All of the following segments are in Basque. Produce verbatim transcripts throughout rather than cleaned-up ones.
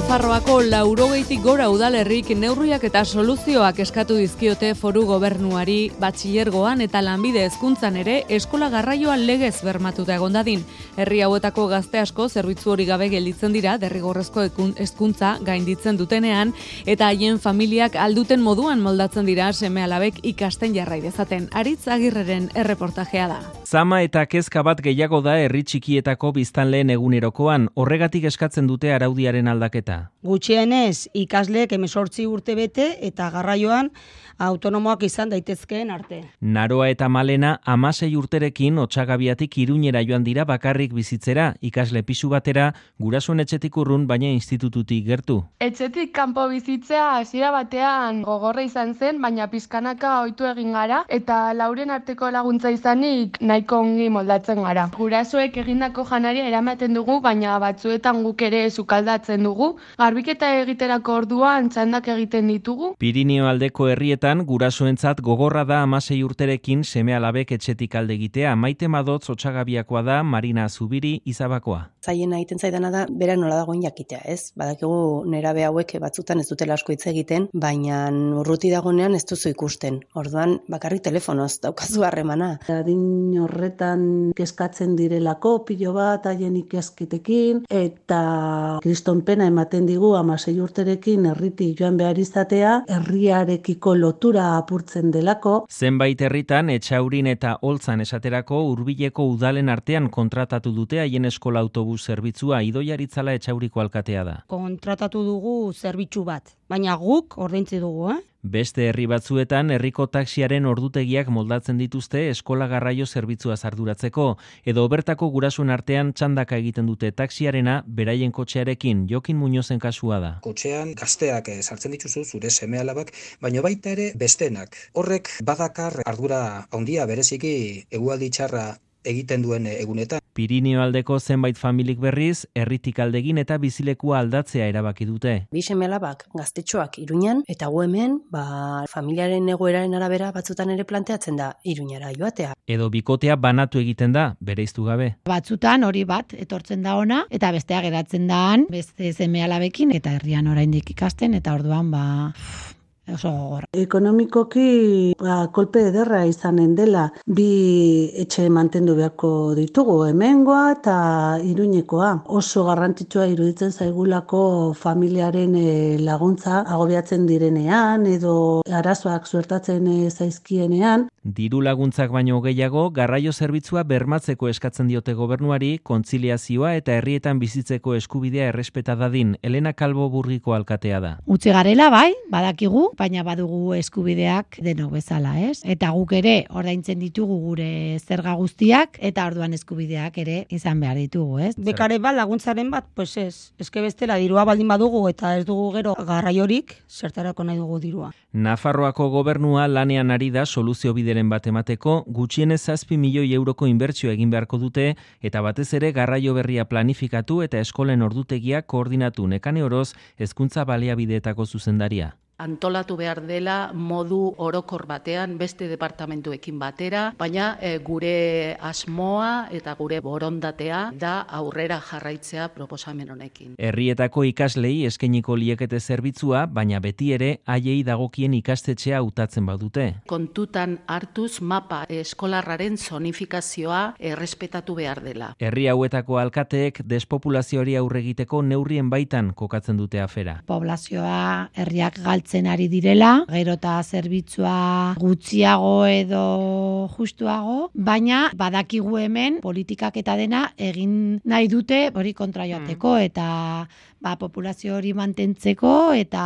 Nafarroako laurogeitik gora udalerrik neurriak eta soluzioak eskatu dizkiote foru gobernuari batxilergoan eta lanbide hezkuntzan ere eskola garraioan legez bermatuta egon dadin. Herri hauetako gazte asko zerbitzu hori gabe gelditzen dira derrigorrezko hezkuntza gainditzen dutenean eta haien familiak alduten moduan moldatzen dira seme-alabek ikasten jarrai dezaten. Aritz Agirreren erreportajea da. Zama eta kezka bat gehiago da herri txikietako biztanleen egunerokoan, horregatik eskatzen dute araudiaren aldaketa. Gutxienez, ikasleek hemezortzi urte bete eta garraioan autonomoak izan daitezkeen arte. Naroa eta Malena hamasei urterekin Otsagabiatik Iruñera joan dira bakarrik bizitzera, ikasle pisu batera, gurasoen etxetik urrun baina institututik gertu. Etxetik kanpo bizitzea hasiera batean gogorra izan zen, baina pizkanaka ohitu egin gara eta lauren arteko laguntza izanik nahiko ongi moldatzen gara. Gurasoek egindako janaria eramaten dugu, baina batzuetan guk ere sukaldatzen dugu. Garbiketa egiterako orduan txandak egiten ditugu. Pirinio aldeko herrietan gurasoentzat gogorra da hamasei urterekin seme-alabek etxetik alde egitea. Maite Madotz Otsagabiakoa da, Marina Zubiri Izabakoa. Zaien egiten zaidana da, bera nola dagoen jakitea, ez? Badakigu nerabe hauek batzutan ez dutela asko hitz egiten, baina urruti dagonean ez duzu ikusten. Orduan bakarrik telefonoz daukazu harremana. Adin horretan kezkatzen direlako pilo bat haien ikasketekin eta kriston pena ematen digu hamasei urterekin herriti joan behar izatea, herriarekiko lotura apurtzen delako. Zenbait herritan Etxaurin eta Oltzan esaterako hurbileko udalen artean kontratatu dute haien eskola autobus zerbitzua. Idoia Aritzala Etxauriko alkatea da. Kontratatu dugu zerbitzu bat, baina guk ordaintzi dugu, eh? Beste herri batzuetan herriko taxiaren ordutegiak moldatzen dituzte eskola garraio zerbitzua arduratzeko, edo bertako gurasoen artean txandaka egiten dute taxiarena beraien kotxearekin. Jokin Muñozen kasua da. Kotxean gazteak sartzen dituzu zure seme-alabak, baina baita ere bestenak. Horrek badakar ardura handia bereziki egualdi txarra egiten duen egunetan. Pirinio aldeko zenbait familik berriz, herritik aldegin eta bizilekua aldatzea erabaki dute. Bi seme-alabak gaztetxoak Iruñan eta gu hemen, ba, familiaren egoeraren arabera batzutan ere planteatzen da Iruñara joatea. Edo bikotea banatu egiten da, bereiztu gabe. Batzutan hori bat etortzen da ona eta bestea geratzen daan beste seme-alabekin eta herrian oraindik ikasten eta orduan ba oso gogorra. Ekonomikoki ba, kolpe ederra izanen dela bi etxe mantendu beharko ditugu, hemengoa eta Iruñekoa. Oso garrantzitsua iruditzen zaigulako familiaren e, laguntza agobiatzen direnean edo arazoak suertatzen e, zaizkienean. Diru laguntzak baino gehiago, garraio zerbitzua bermatzeko eskatzen diote gobernuari, kontziliazioa eta herrietan bizitzeko eskubidea errespeta dadin. Elena Kalbo Burgiko alkatea da. Utzi garela bai, badakigu, baina badugu eskubideak denok bezala, ez? Eta guk ere ordaintzen ditugu gure zerga guztiak eta orduan eskubideak ere izan behar ditugu, ez? Bekare bat laguntzaren bat, pues ez. Eske bestela dirua baldin badugu eta ez dugu gero garraiorik, zertarako nahi dugu dirua. Nafarroako gobernua lanean ari da soluzio bideren bat emateko, gutxienez zazpi milioi euroko inbertsio egin beharko dute eta batez ere garraio berria planifikatu eta eskolen ordutegia koordinatu. Nekane Oroz, hezkuntza baliabideetako zuzendaria. Antolatu behar dela modu orokor batean beste departamentuekin batera, baina e, gure asmoa eta gure borondatea da aurrera jarraitzea proposamen honekin. Herrietako ikaslei eskainiko liekete zerbitzua, baina beti ere haiei dagokien ikastetxea hautatzen badute. Kontutan hartuz mapa eskolarraren zonifikazioa errespetatu behar dela. Herri hauetako alkateek despopulazioari aurre egiteko neurrien baitan kokatzen dute afera. Poblazioa herriak galtzen ari direla, gero eta zerbitzua gutxiago edo justuago, baina badakigu hemen politikak eta dena egin nahi dute hori kontra joateko eta ba, populazio hori mantentzeko eta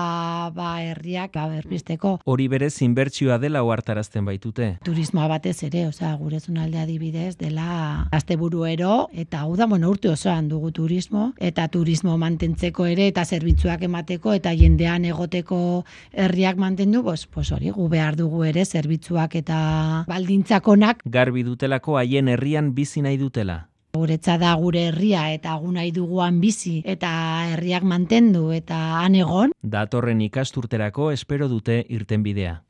ba, herriak ba, berpizteko. Hori berez inbertsioa dela ohartarazten baitute. Turismoa batez ere, osea, gure zonalde adibidez dela asteburuero eta hau da, bueno, urte osoan dugu turismo eta turismo mantentzeko ere eta zerbitzuak emateko eta jendean egoteko herriak mantendu, pues, pues hori gu behar dugu ere zerbitzuak eta baldintzakonak. Garbi dutelako haien herrian bizi nahi dutela. Guretza da gure herria eta gu nahi duguan bizi eta herriak mantendu eta han egon. Datorren ikasturterako espero dute irtenbidea.